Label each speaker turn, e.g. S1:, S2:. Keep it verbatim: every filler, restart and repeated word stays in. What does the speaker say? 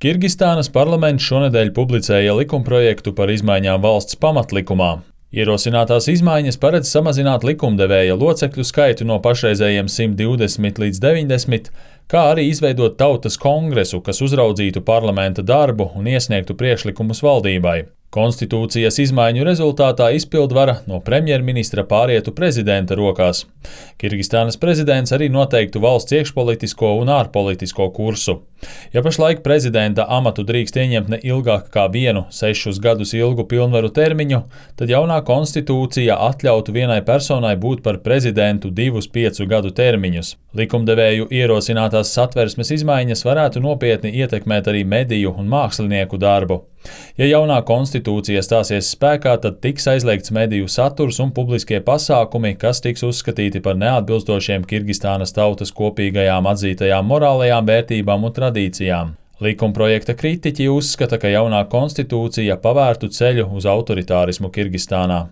S1: Kirgistānas parlaments šonedēļ publicēja likumprojektu par izmaiņām valsts pamatlikumā. Ierosinātās izmaiņas paredz samazināt likumdevēja locekļu skaitu no pašreizējiem simt divdesmit līdz deviņdesmit, kā arī izveidot tautas kongresu, kas uzraudzītu parlamenta darbu un iesniegtu priekšlikumus valdībai. Konstitūcijas izmaiņu rezultātā izpildvara no premjerministra pārietu prezidenta rokās. Kirgistānas prezidents arī noteiktu valsts iekšpolitisko un ārpolitisko kursu. Ja pašlaik prezidenta amatu drīkst ieņemt ne ilgāk kā vienu sešus gadus ilgu pilnvaru termiņu, tad jaunā konstitūcija atļautu vienai personai būt par prezidentu divus piecu gadu termiņus. Likumdevēju ierosinātās satversmes izmaiņas varētu nopietni ietekmēt arī mediju un mākslinieku darbu. Ja jaunā konstitūcija stāsies spēkā, tad tiks aizliegts mediju saturs un publiskie pasākumi, kas tiks uzskatīti par neatbilstošiem Kirgistānas tautas kopīgajām atzītajām morālajām vērtībām un tradīcijām. Likumprojekta kritiķi uzskata, ka jaunā konstitūcija pavērtu ceļu uz autoritārismu Kirgistānā.